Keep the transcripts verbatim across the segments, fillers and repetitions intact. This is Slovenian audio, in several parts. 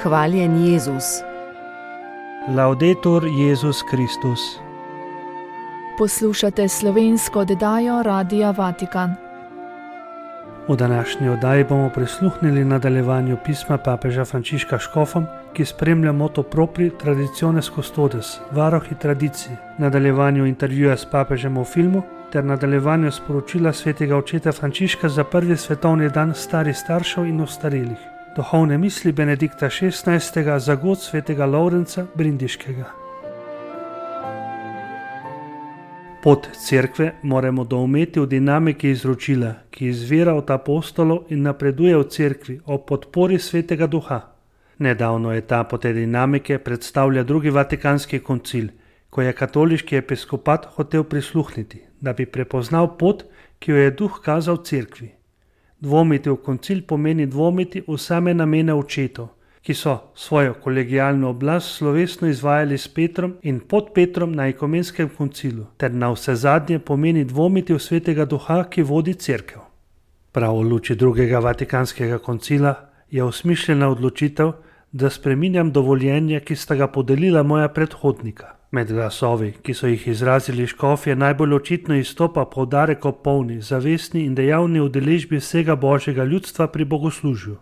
Hvaljen Jezus. Laudetur Jezus Kristus. Poslušate slovensko oddajo Radia Vatikan. V današnji oddaji bomo prisluhnili nadaljevanju pisma papeža Frančiška škofom, ki spremlja moto propri traditiones custodes, varohi tradicij, nadaljevanju intervjuja s papežem v filmu ter nadaljevanju sporočila svetega očeta Frančiška za prvi svetovni dan starih staršev in ostarelih. Duhovne misli Benedikta šestnajstega za god svetega Lovrenca Brindiškega. Pot cerkve moramo doumeti v dinamiki izročila, ki izvira od apostolov in napreduje v cerkvi ob podpori svetega duha. Nedavno etapo te dinamike predstavlja drugi vatikanski koncil, ko je katoliški episkopat hotel prisluhniti, da bi prepoznal pot, ki jo je duh kazal cerkvi. Dvomiti v koncil pomeni dvomiti v same namene očetov, ki so svojo kolegijalno oblast slovesno izvajali s Petrom in pod Petrom na ekumenskem koncilu, ter na vse zadnje pomeni dvomiti v svetega duha, ki vodi cerkev. Prav v luči drugega vatikanskega koncila je osmišljena odločitev, da spreminjam dovoljenje, ki sta ga podelila moja predhodnika. Med glasovi, ki so jih izrazili škofje, najbolj očitno izstopa poudarek o polni, zavestni in dejavni udeležbi vsega božjega ljudstva pri bogoslužju.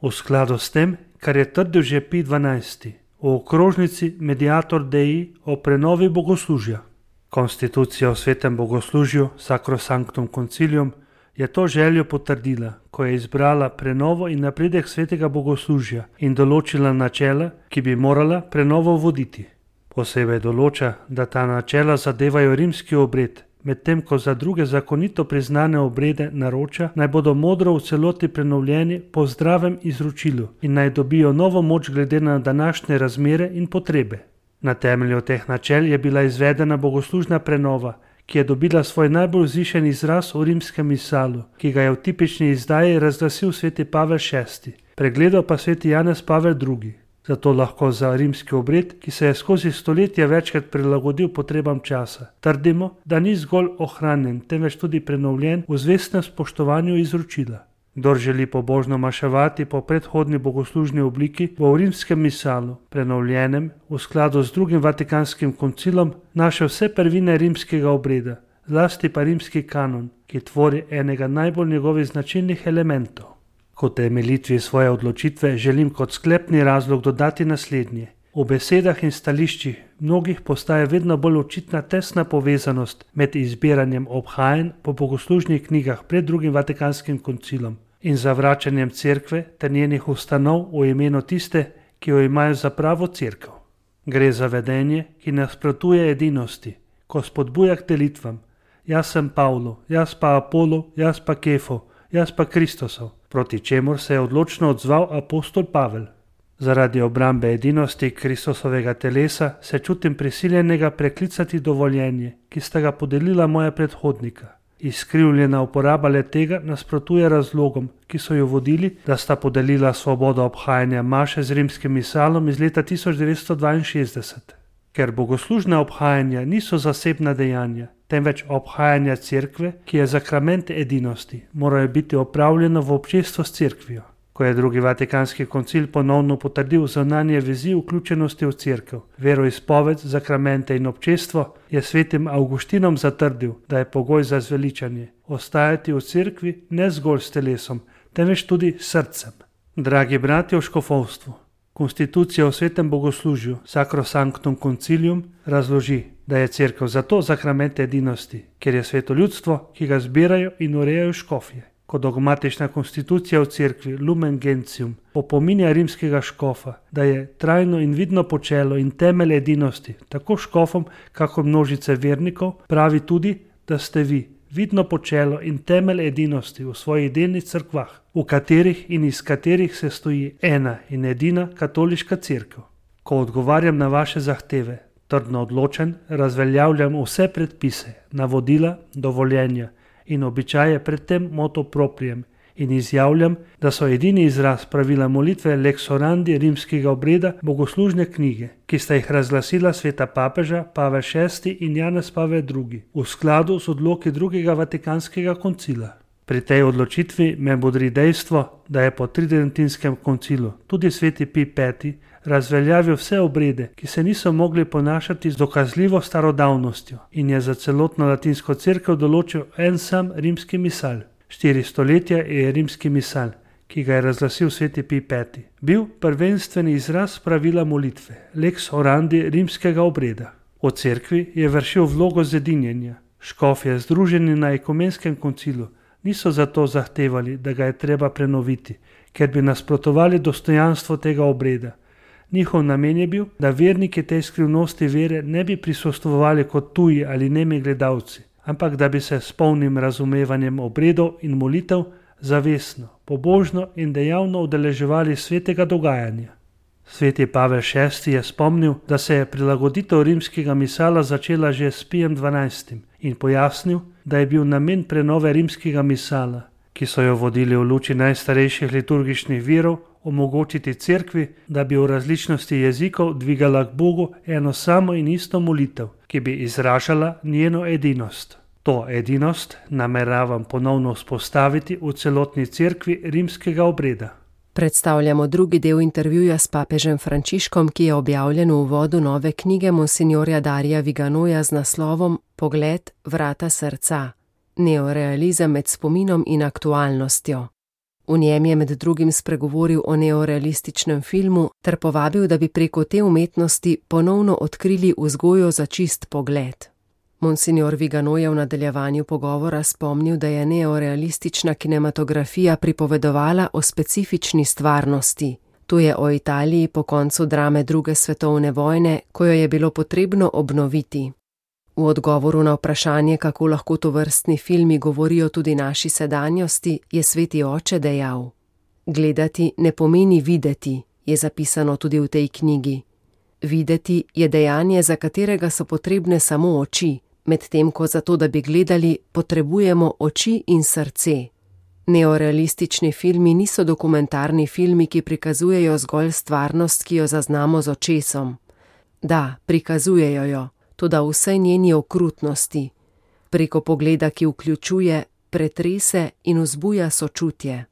V skladu s tem, kar je trdil že Pij dvanajsti v okrožnici Mediator Dei o prenovi bogoslužja. Konstitucija o svetem bogoslužju Sacrosanctum Concilium je to željo potrdila, ko je izbrala prenovo in napredek svetega bogoslužja in določila načela, ki bi morala prenovo voditi. Posebej določa, da ta načela zadevajo rimski obred, medtem ko za druge zakonito priznane obrede naroča, naj bodo modro v celoti prenovljeni po zdravem izročilu in naj dobijo novo moč glede na današnje razmere in potrebe. Na temelju teh načel je bila izvedena bogoslužna prenova, ki je dobila svoj najbolj vzvišen izraz v rimskem misalu, ki ga je v tipični izdaji razglasil sveti Pavel šesti, pregledal pa sveti Janez Pavel drugi. Zato lahko za rimski obred, ki se je skozi stoletja večkrat prilagodil potrebam časa, trdimo, da ni zgolj ohranjen, temveč tudi prenovljen v zvestnem spoštovanju izročila. Kdor želi pobožno maševati po predhodni bogoslužni obliki, bo v rimskem misalu, prenovljenem v skladu z drugim vatikanskim koncilom, našel vse prvine rimskega obreda, zlasti pa rimski kanon, ki tvori enega najbolj njegovih značilnih elementov. Kot temeljitvi svoje odločitve želim kot sklepni razlog dodati naslednje. V besedah in stališčih mnogih postaja vedno bolj očitna tesna povezanost med izbiranjem obhajanj po bogoslužnih knjigah pred drugim vatikanskim koncilom in zavračanjem cerkve ter njenih ustanov v imenu tiste, ki jo imajo za pravo cerkev. Gre za vedenje, ki nasprotuje edinosti, ko spodbuja k delitvam. Jaz sem Pavlo, jaz pa Apolo, jaz pa Kefo, jaz pa Kristosov, proti čemur se je odločno odzval apostol Pavel. Zaradi obrambe edinosti Kristusovega telesa se čutim prisiljenega preklicati dovoljenje, ki sta ga podelila moja predhodnika. Izkrivljena uporaba le tega nasprotuje razlogom, ki so jo vodili, da sta podelila svobodo obhajanja maše z rimskim misalom iz leta tisoč devetsto dvainšestdeset. Ker bogoslužna obhajanja niso zasebna dejanja, temveč obhajanja cerkve, ki je zakrament edinosti, morajo biti opravljena v občestvu s cerkvijo. Ko je drugi vatikanski koncil ponovno potrdil zunanje vezi vključenosti v cerkev, veroizpoved, zakramente in občestvo, je svetim Avgustinom zatrdil, da je pogoj za zveličanje ostajati v cerkvi ne zgolj s telesom, temveč tudi s srcem. Dragi bratje v škofovstvu, konstitucija v svetem bogoslužju Sacrosanctum Concilium razloži, da je cerkev zato zakrament edinosti, ker je sveto ljudstvo, ki ga zbirajo in urejajo škofje. Kot dogmatična konstitucija v cerkvi Lumen Gentium opominja rimskega škofa, da je trajno in vidno počelo in temelj edinosti, tako škofom, kako množice vernikov, pravi tudi, da ste vi vidno počelo in temelj edinosti v svojih delnih cerkvah, v katerih in iz katerih se stoji ena in edina katoliška cerkev. Ko odgovarjam na vaše zahteve, trdno odločen, razveljavljam vse predpise, navodila, dovoljenja in običaje pred tem moto proprijem in izjavljam, da so edini izraz pravila molitve lex orandi rimskega obreda bogoslužne knjige, ki sta jih razglasila sveta papeža Pavel šesti in Janez Pavel drugi v skladu z odloki drugega vatikanskega koncila. Pri tej odločitvi me bodri dejstvo, da je po tridentinskem koncilu tudi sveti Pij peti razveljavil vse obrede, ki se niso mogli ponašati z dokazljivo starodavnostjo in je za celotno latinsko cerkev določil en sam rimski misal. Štiri stoletja je rimski misal, ki ga je razglasil sveti Pij peti, bil prvenstveni izraz pravila molitve, lex orandi rimskega obreda. V cerkvi je vršil vlogo zedinjenja. Škofje, združeni na ekumenskem koncilu, niso zato zahtevali, da ga je treba prenoviti, ker bi nasprotovali dostojanstvu tega obreda. Njihov namen je bil, da verniki tej skrivnosti vere ne bi prisostvovali kot tuji ali nemi gledalci, ampak da bi se s polnim razumevanjem obredov in molitev zavestno, pobožno in dejavno udeleževali svetega dogajanja. Sveti Pavel šesti je spomnil, da se je prilagoditev rimskega misala začela že s Pijem dvanajstim in pojasnil, da je bil namen prenove rimskega misala, ki so jo vodili v luči najstarejših liturgičnih virov, omogočiti cerkvi, da bi v različnosti jezikov dvigala k Bogu eno samo in isto molitev, ki bi izražala njeno edinost. To edinost nameravam ponovno vzpostaviti v celotni cerkvi rimskega obreda. Predstavljamo drugi del intervjuja s papežem Frančiškom, ki je objavljen v uvodu nove knjige monsinjorja Darija Viganoja z naslovom Pogled, vrata srca. Neorealizem med spominom in aktualnostjo. V njem je med drugim spregovoril o neorealističnem filmu ter povabil, da bi preko te umetnosti ponovno odkrili vzgojo za čist pogled. Monsinjor Vigano je v nadaljevanju pogovora spomnil, da je neorealistična kinematografija pripovedovala o specifični stvarnosti. To je o Italiji po koncu drame druge svetovne vojne, ko jo je bilo potrebno obnoviti. V odgovoru na vprašanje, kako lahko tovrstni filmi govorijo tudi naši sedanjosti, je sveti oče dejal: Gledati ne pomeni videti, je zapisano tudi v tej knjigi. Videti je dejanje, za katerega so potrebne samo oči, medtem ko za to, da bi gledali, potrebujemo oči in srce. Neorealistični filmi niso dokumentarni filmi, ki prikazujejo zgolj stvarnost, ki jo zaznamo z očesom. Da, prikazujejo jo, toda vsej njeni okrutnosti, preko pogleda, ki vključuje, pretrese in vzbuja sočutje.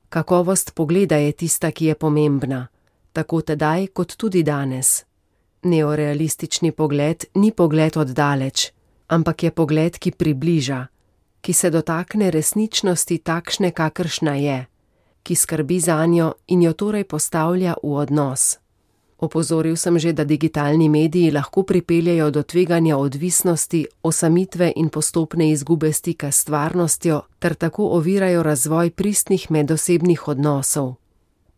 Kakovost pogleda je tista, ki je pomembna, tako tedaj kot tudi danes. Neorealistični pogled ni pogled od daleč, ampak je pogled, ki približa, ki se dotakne resničnosti takšne, kakršna je, ki skrbi zanjo in jo torej postavlja v odnos. Opozoril sem že, da digitalni mediji lahko pripeljejo do tveganja odvisnosti, osamitve in postopne izgube stika s stvarnostjo ter tako ovirajo razvoj pristnih medosebnih odnosov.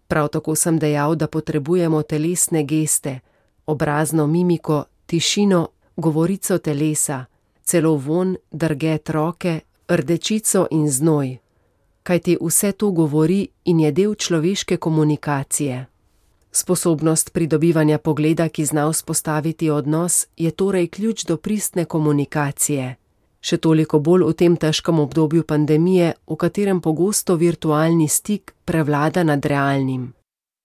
Prav tako sem dejal, da potrebujemo telesne geste, obrazno mimiko, tišino, govorico telesa, celo vonj, drget roke, rdečico in znoj. Kajti vse to govori in je del človeške komunikacije. Sposobnost pridobivanja pogleda, ki zna vzpostaviti odnos, je torej ključ do pristne komunikacije. Še toliko bolj v tem težkem obdobju pandemije, v katerem pogosto virtualni stik prevlada nad realnim.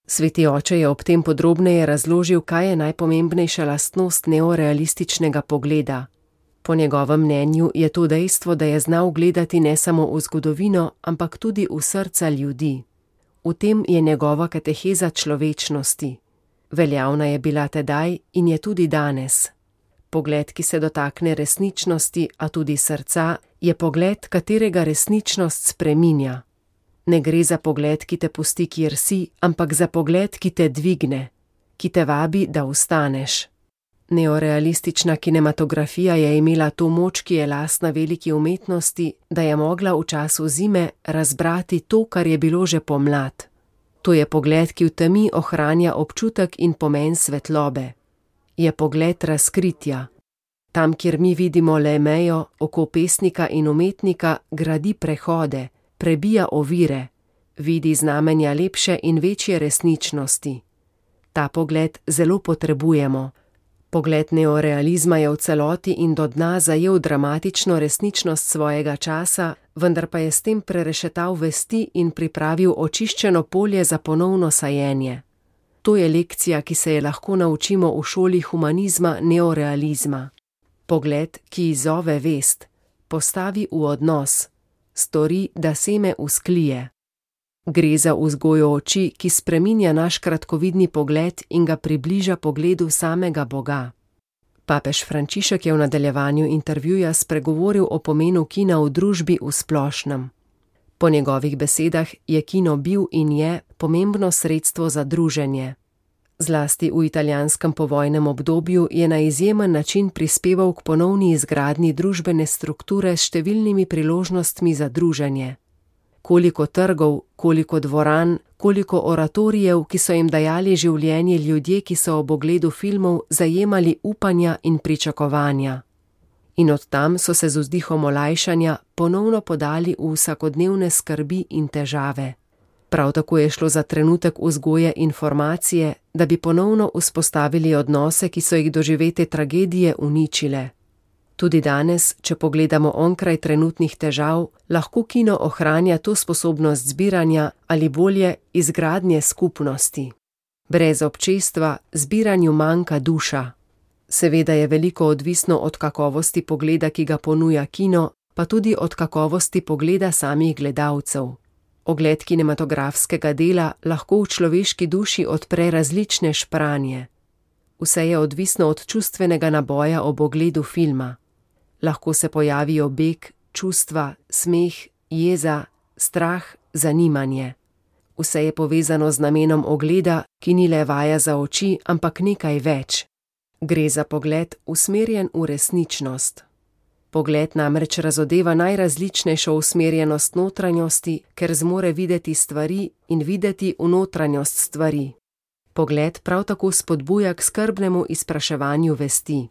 Sveti oče je ob tem podrobneje razložil, kaj je najpomembnejša lastnost neorealističnega pogleda. Po njegovem mnenju je to dejstvo, da je znal gledati ne samo v zgodovino, ampak tudi v srca ljudi. V tem je njegova kateheza človečnosti. Veljavna je bila tedaj in je tudi danes. Pogled, ki se dotakne resničnosti, a tudi srca, je pogled, katerega resničnost spreminja. Ne gre za pogled, ki te pusti, kjer si, ampak za pogled, ki te dvigne, ki te vabi, da vstaneš. Neorealistična kinematografija je imela to moč, ki je lastna veliki umetnosti, da je mogla v času zime razbrati to, kar je bilo že pomlad. To je pogled, ki v temi ohranja občutek in pomen svetlobe. Je pogled razkritja. Tam, kjer mi vidimo le mejo, oko pesnika in umetnika gradi prehode, prebija ovire, vidi znamenja lepše in večje resničnosti. Ta pogled zelo potrebujemo. Pogled neorealizma je v celoti in do dna zajel dramatično resničnost svojega časa, vendar pa je s tem prerešetal vesti in pripravil očiščeno polje za ponovno sajenje. To je lekcija, ki se je lahko naučimo v šoli humanizma neorealizma. Pogled, ki izzove vest, postavi v odnos, stori, da seme usklije. Gre za vzgojo oči, ki spreminja naš kratkovidni pogled in ga približa pogledu samega Boga. Papež Frančišek je v nadaljevanju intervjuja spregovoril o pomenu kina v družbi v splošnem. Po njegovih besedah je kino bil in je pomembno sredstvo za druženje. Zlasti v italijanskem povojnem obdobju je na izjemen način prispeval k ponovni izgradnji družbene strukture s številnimi priložnostmi za druženje. Koliko trgov, koliko dvoran, koliko oratorijev, ki so jim dajali življenje ljudje, ki so ob ogledu filmov zajemali upanja in pričakovanja. In od tam so se z vzdihom olajšanja ponovno podali v vsakodnevne skrbi in težave. Prav tako je šlo za trenutek vzgoje informacije, da bi ponovno vzpostavili odnose, ki so jih doživete tragedije uničile. Tudi danes, če pogledamo onkraj trenutnih težav, lahko kino ohranja to sposobnost zbiranja ali bolje izgradnje skupnosti. Brez občestva zbiranju manjka duša. Seveda je veliko odvisno od kakovosti pogleda, ki ga ponuja kino, pa tudi od kakovosti pogleda samih gledalcev. Ogled kinematografskega dela lahko v človeški duši odpre različne špranje. Vse je odvisno od čustvenega naboja ob ogledu filma. Lahko se pojavijo beg, čustva, smeh, jeza, strah, zanimanje. Vse je povezano z namenom ogleda, ki ni le vaja za oči, ampak nekaj več. Gre za pogled usmerjen v resničnost. Pogled namreč razodeva najrazličnejšo usmerjenost notranjosti, ker zmore videti stvari in videti v notranjost stvari. Pogled prav tako spodbuja k skrbnemu izpraševanju vesti.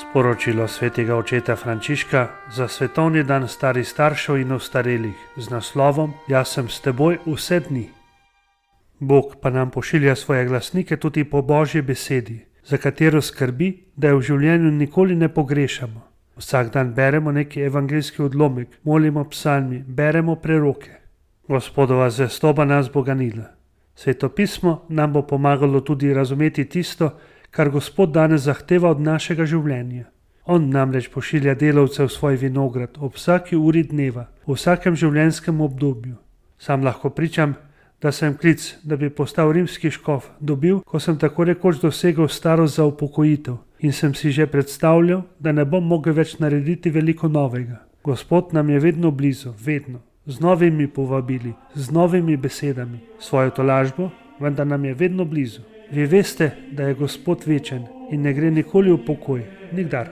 Sporočilo svetega očeta Frančiška za svetovni dan starih staršev in ostarelih z naslovom Jaz sem s teboj vse dni. Bog pa nam pošilja svoje glasnike tudi po Božji besedi, za katero skrbi, da jo v življenju nikoli ne pogrešamo. Vsak dan beremo neki evangeljski odlomek, molimo psalmi, beremo preroke. Gospodova zvestoba nas bo ganila. Sveto pismo nam bo pomagalo tudi razumeti tisto, kar Gospod danes zahteva od našega življenja. On namreč pošilja delavce v svoj vinograd ob vsaki uri dneva, v vsakem življenjskem obdobju. Sam lahko pričam, da sem klic, da bi postal rimski škof, dobil, ko sem tako rekoč dosegel starost za upokojitev in sem si že predstavljal, da ne bom mogel več narediti veliko novega. Gospod nam je vedno blizu, vedno, z novimi povabili, z novimi besedami, svojo tolažbo, vendar nam je vedno blizu. Vi veste, da je Gospod večen in ne gre nikoli v pokoj, nikdar.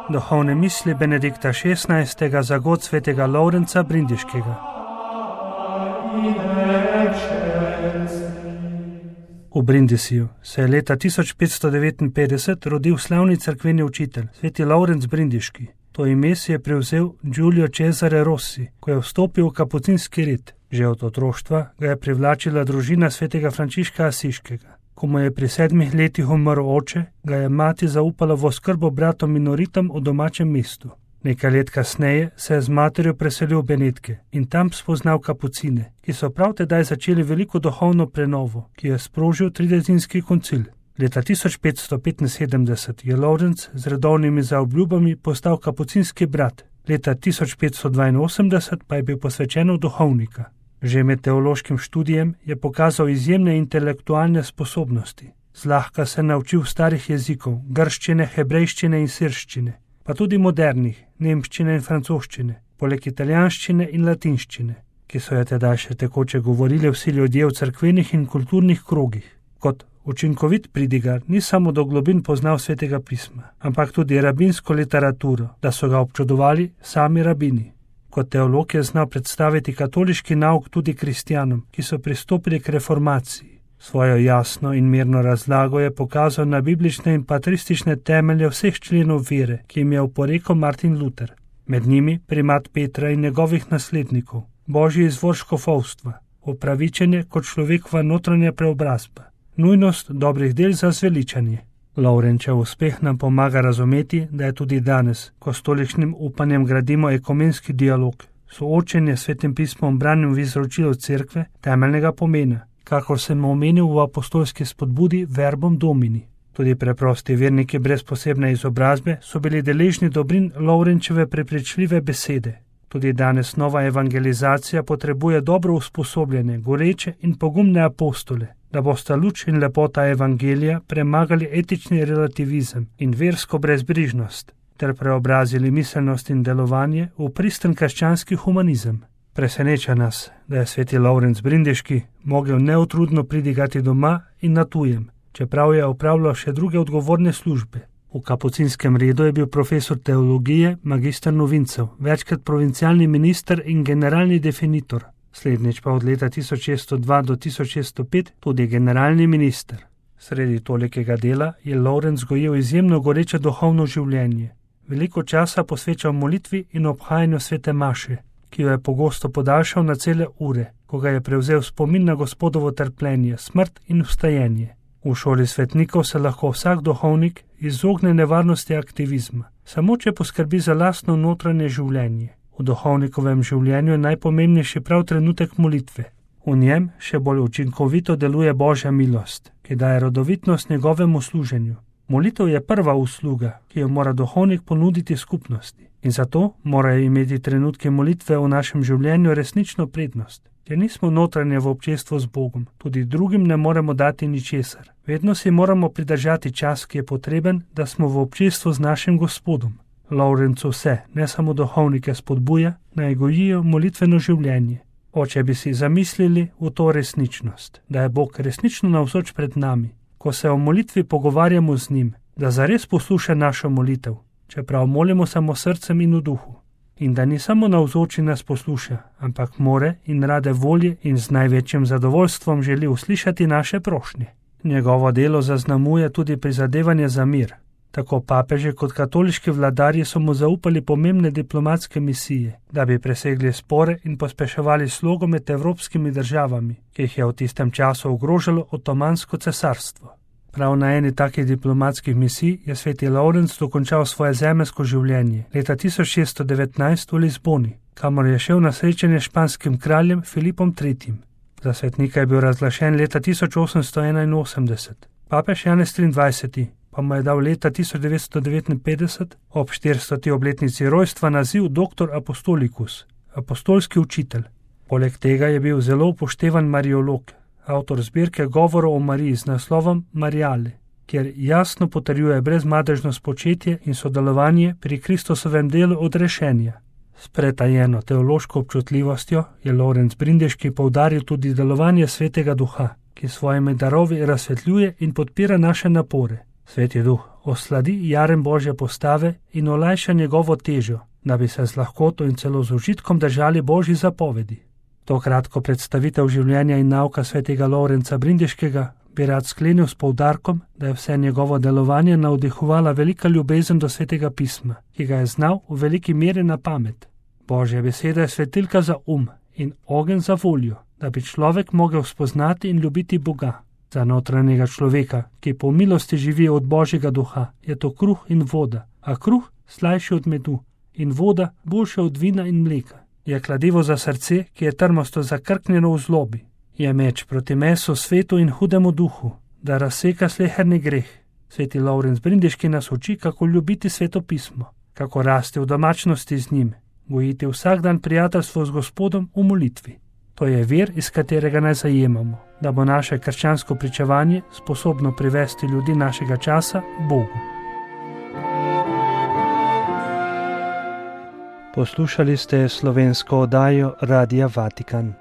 Duhovne misli Benedikta šestnajstega za god svetega Lovrenca Brindiškega. V Brindisiju se je leta tisoč petsto devetinpetdeset rodil slavni cerkveni učitelj, sveti Lovrenc Brindiški. To ime si je prevzel Giulio Cesare Rossi, ko je vstopil v kapucinski red. Že od otroštva ga je privlačila družina svetega Frančiška Asiškega. Ko mu je pri sedmih letih umrl oče, ga je mati zaupala v oskrbo bratom minoritom v domačem mestu. Nekaj let kasneje se je z materjo preselil v Benetke in tam spoznal kapucine, ki so prav tedaj začeli veliko duhovno prenovo, ki je sprožil tridesetinski koncil. Leta tisoč petsto petinsedemdeset je Lovrenc z redovnimi zaobljubami postal kapucinski brat, leta tisoč petsto dvainosemdeset pa je bil posvečen v duhovnika. Že med teološkim študijem je pokazal izjemne intelektualne sposobnosti. Zlahka se naučil starih jezikov, grščine, hebrejščine in sirščine, pa tudi modernih, nemščine in francoščine, poleg italijanščine in latinščine, ki so je tedaj še tekoče govorili vsi ljudje v cerkvenih in kulturnih krogih. Kot učinkovit pridigar ni samo do globin poznal svetega pisma, ampak tudi rabinsko literaturo, da so ga občudovali sami rabini. Kot teolog je znal predstaviti katoliški nauk tudi kristjanom, ki so pristopili k reformaciji. Svojo jasno in mirno razlago je pokazal na biblične in patristične temelje vseh členov vere, ki jim je oporekal Martin Luther. Med njimi primat Petra in njegovih naslednikov, božji izvor škofovstva, upravičenje kot človekova notranja preobrazba, nujnost dobrih del za zveličanje. Lovrenčev uspeh nam pomaga razumeti, da je tudi danes, ko s tolikšnim upanjem gradimo ekumenski dialog, soočenje s Svetim pismom branjem v izročilu cerkve temeljnega pomena, kakor sem omenil v apostolski spodbudi Verbum Domini. Tudi preprosti verniki brez posebne izobrazbe so bili deležni dobrin Lovrenčeve prepričljive besede. Tudi danes nova evangelizacija potrebuje dobro usposobljene, goreče in pogumne apostole, da bosta luč in lepota evangelija premagali etični relativizem in versko brezbrižnost, ter preobrazili miselnost in delovanje v pristen krščanski humanizem. Preseneča nas, da je sveti Lovrenc Brindeški mogel neutrudno pridigati doma in na tujem, čeprav je opravljal še druge odgovorne službe. V kapucinskem redu je bil profesor teologije, magister novincev, večkrat provincialni minister in generalni definitor, slednjič pa od leta tisoč šeststo dva do tisoč šeststo pet tudi generalni minister. Sredi tolikega dela je Lovrenc gojil izjemno goreče duhovno življenje. Veliko časa posvečal molitvi in obhajanju svete maše, ki jo je pogosto podaljšal na cele ure, ko ga je prevzel spomin na Gospodovo trpljenje, smrt in vstajenje. V šoli svetnikov se lahko vsak duhovnik izogne nevarnosti aktivizma, samo če poskrbi za lastno notranje življenje. V duhovnikovem življenju je najpomembnejši prav trenutek molitve. V njem še bolj učinkovito deluje Božja milost, ki daje rodovitnost njegovemu služenju. Molitev je prva usluga, ki jo mora duhovnik ponuditi skupnosti, in zato morajo imeti trenutke molitve v našem življenju resnično prednost. Če nismo notranje v občestvu z Bogom, tudi drugim ne moremo dati ničesar. Vedno si moramo pridržati čas, ki je potreben, da smo v občestvu z našim Gospodom. Lovrenc vse, ne samo duhovnike, spodbuja, naj gojijo molitveno življenje. Oče bi si zamislili v to resničnost, da je Bog resnično navzoč pred nami, ko se o molitvi pogovarjamo z njim, da zares posluša našo molitev, čeprav molimo samo srcem in v duhu. In da ni samo navzoči nas posluša, ampak more in rade volje in z največjim zadovoljstvom želi uslišati naše prošnje. Njegovo delo zaznamuje tudi prizadevanje za mir. Tako papeže kot katoliški vladarji so mu zaupali pomembne diplomatske misije, da bi presegli spore in pospeševali slogo med evropskimi državami, ki jih je v tistem času ogrožalo Otomansko cesarstvo. Prav na eni takih diplomatskih misij je sveti Lovrenc dokončal svoje zemeljsko življenje leta tisoč šeststo devetnajst v Lizboni, kamor je šel na srečanje s španskim kraljem Filipom tretjim. Za svetnika je bil razglašen leta tisoč osemsto enainosemdeset. Papež Janez triindvajseti pa mu je dal leta tisoč devetsto devetinpetdeset ob štiristoti obletnici rojstva naziv doktor apostolikus, apostolski učitelj. Poleg tega je bil zelo upoštevan mariolog, avtor zbirke govorov o Mariji z naslovom Marijale, kjer jasno potrjuje brezmadežno spočetje in sodelovanje pri Kristusovem delu odrešenja. S pretajeno teološko občutljivostjo je Lovrenc Brindeški poudaril tudi delovanje Svetega Duha, ki svojimi darovi razsvetljuje in podpira naše napore. Sveti Duh osladi jarem Božje postave in olajša njegovo težo, da bi se z lahkoto in celo z užitkom držali Božji zapovedi. To kratko predstavitev življenja in nauka svetega Lovrenca Brindeškega bi rad sklenil s poudarkom, da je vse njegovo delovanje navdihovala velika ljubezen do svetega pisma, ki ga je znal v veliki meri na pamet. Božja beseda je svetilka za um in ogenj za voljo, da bi človek mogel spoznati in ljubiti Boga. Za notranjega človeka, ki po milosti živi od Božjega duha, je to kruh in voda, a kruh slajši od medu in voda boljša od vina in mleka. Je kladivo za srce, ki je trmasto zakrknjeno v zlobi. Je meč proti mesu, svetu in hudemu duhu, da razseka sleherni greh. Sveti Lovrenc Brindeški nas uči, kako ljubiti sveto pismo, kako rasti v domačnosti z njim, gojiti vsak dan prijateljstvo z Gospodom v molitvi. To je vir, iz katerega naj zajemamo, da bo naše krščansko pričevanje sposobno privesti ljudi našega časa Bogu. Poslušali ste slovensko oddajo Radia Vatikan.